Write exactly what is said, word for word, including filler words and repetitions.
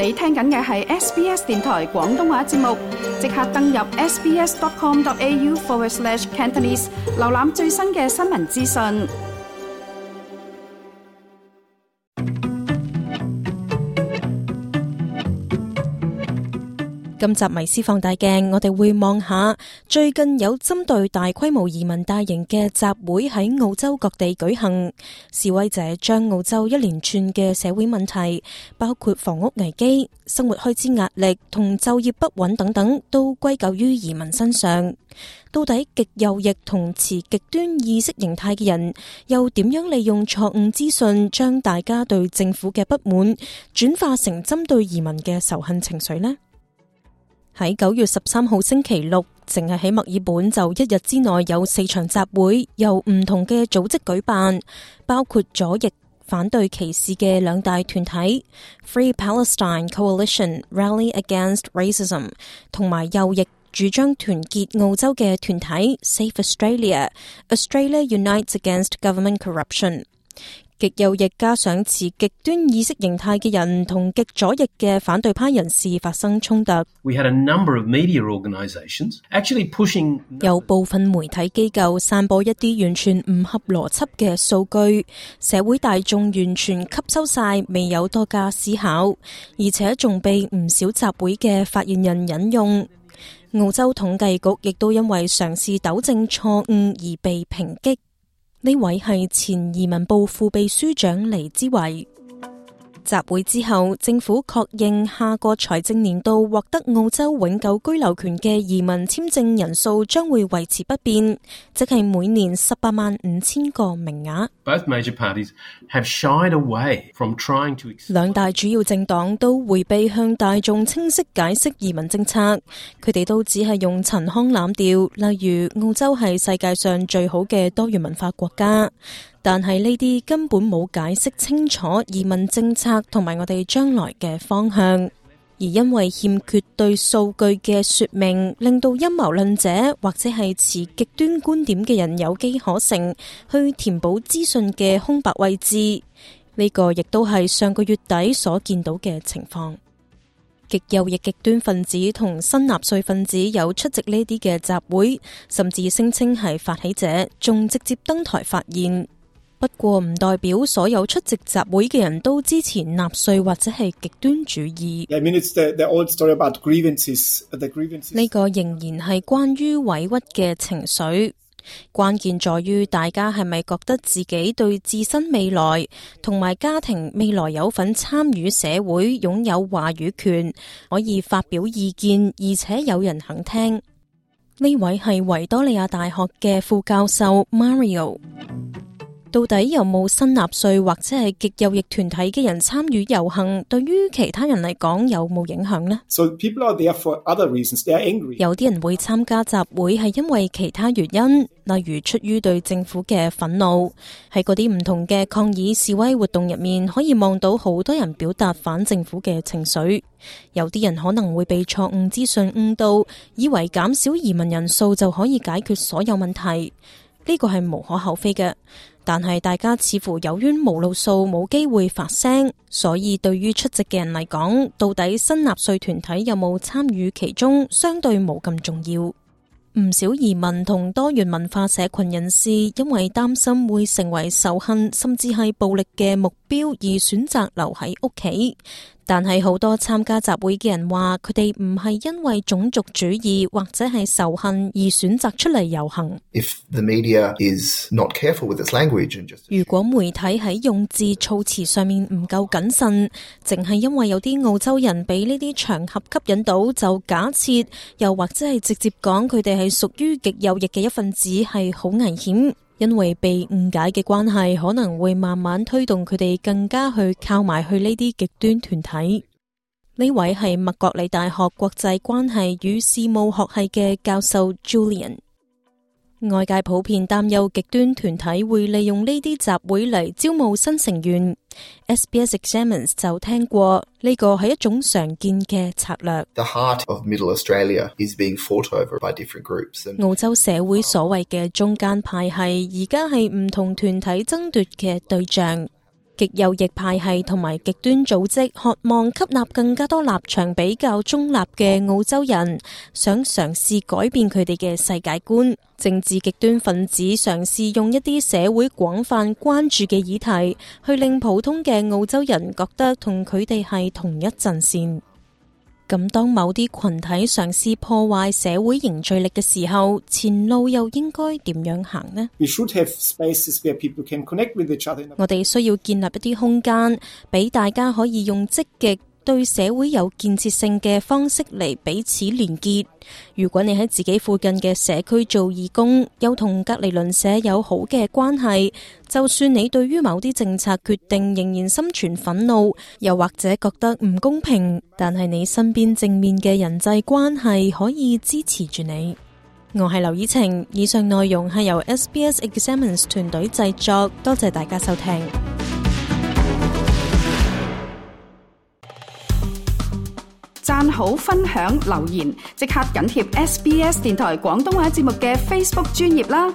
你聽緊嘅係 S B S 電台廣東話節目，即刻登入 sbs.com.au forward slash Cantonese， 瀏覽最新嘅新聞資訊。今集迷思放大鏡，我哋會望下最近有針對大規模移民大型嘅集會喺澳洲各地舉行，示威者將澳洲一連串嘅社會問題，包括房屋危機、生活開支壓力同就業不穩等等，都歸咎於移民身上。到底極右翼同持極端意識形態嘅人又點樣利用錯誤資訊，將大家對政府嘅不滿轉化成針對移民嘅仇恨情緒呢？喺九月十三號星期六，淨係喺墨爾本就一日之內有四場集會，由唔同嘅組織舉辦，包括左翼反對歧視嘅兩大團體 Free Palestine Coalition Rally Against Racism， 同埋右翼主張團結澳洲嘅團體 Save Australia Australia Unites Against Government Corruption。極右翼加上持極端意識形態嘅人同極左翼嘅反對派人士發生衝突。We had a number of media organizations actually pushing 有部分媒體機構散播一啲完全唔合邏輯嘅數據，社會大眾完全吸收晒，未有多加思考，而且仲被唔少集會嘅發言人引用。澳洲統計局亦都因為嘗試糾正錯誤而被抨擊。呢位係前移民部副秘書長黎之維。集會之後，政府確認下個財政年度獲得澳洲永久居留權嘅移民簽證人數將會維持不變，即係每年十八萬五千個名額。Both major parties have shied away from trying to explain. 兩大主要政黨都迴避向大眾清晰解釋移民政策，佢哋都只係用陳腔濫調，例如澳洲係世界上最好嘅多元文化國家。但係呢啲根本冇解釋清楚移民政策同埋我哋將來嘅方向，而因為欠缺對數據嘅說明，令到陰謀論者或者係持極端觀點嘅人有機可乘，去填補資訊嘅空白位置。呢個亦都係上個月底所見到嘅情況。極右翼極端分子同新納粹分子有出席呢啲嘅集會，甚至聲稱係發起者，仲直接登台發言。不過唔代表所有出席集會嘅人都支持納粹或者係極端主義。I mean, it's the, the old story about grievances, the grievances. 呢個仍然係關於委屈嘅情緒，關鍵在於大家係咪覺得自己對自身未來同埋家庭未來有份參與社會，擁有話語權，可以發表意見，而且有人肯聽。呢位係維多利亞大學嘅副教授 Mario。到底有冇新納粹或者係極右翼團體嘅人參與遊行，對於其他人嚟講有冇影響呢？ So people are there for other reasons. They are angry. 有啲人會參加集會係因為其他原因，例如出於對政府嘅憤怒。喺嗰啲唔同嘅抗議示威活動入面，可以望到好多人表達反政府嘅情緒。有啲人可能會被錯誤資訊誤導，以為減少移民人數就可以解決所有問題。呢個係無可厚非嘅。但係大家似乎有冤無路訴，冇機會發聲，所以對於出席嘅人嚟講，到底新納粹團體有冇參與其中，相對冇咁重要。唔少移民同多元文化社群人士因為擔心會成為仇恨甚至係暴力嘅目標而選擇留喺屋企。但係好多參加集會嘅人話，佢哋唔係因為種族主義或者係仇恨而選擇出嚟遊行。If the media is not careful with its language and just... 如果媒體喺用字措辭上面唔夠謹慎，淨係因為有啲澳洲人俾呢啲場合吸引到，就假設又或者係直接講佢哋係屬於極右翼嘅一份子，係好危險。因為被誤解嘅關係，可能會慢慢推動佢哋更加去靠埋去呢啲極端團體。呢位係麥國理大學國際關係與事務學系嘅教授 Julian。外界普遍擔憂極端團體會利用呢啲集會嚟招募新成員。S B S Examines 就聽過呢個係一種常見嘅策略。The heart of Middle Australia is being fought over by different groups. 澳洲社會所謂嘅中間派系，而家係唔同團體爭奪嘅對象。極右翼派系同埋極端組織渴望吸納更加多立場比較中立嘅澳洲人，想嘗試改變佢哋嘅世界觀。政治極端分子嘗試用一啲社會廣泛關注嘅議題，去令普通嘅澳洲人覺得同佢哋係同一陣線。咁當某啲群體嘗試破壞社會凝聚力嘅時候，前路又應該點樣行呢？ We should have spaces where people can connect with each other. 我哋需要建立一啲空間，俾大家可以用積極對社會有建設性嘅方式嚟彼此連結。如果你喺自己附近嘅社區做義工，又同隔離鄰舍有好嘅關係，就算你對於某啲政策決定仍然心存憤怒，又或者覺得唔公平，但係你身邊正面嘅人際關係可以支持住你。我係劉以晴，以上內容係由 S B S Examines 團隊製作，多謝大家收聽。讚好、分享、留言，即刻緊貼 S B S 電台廣東話節目嘅 Facebook 專頁啦！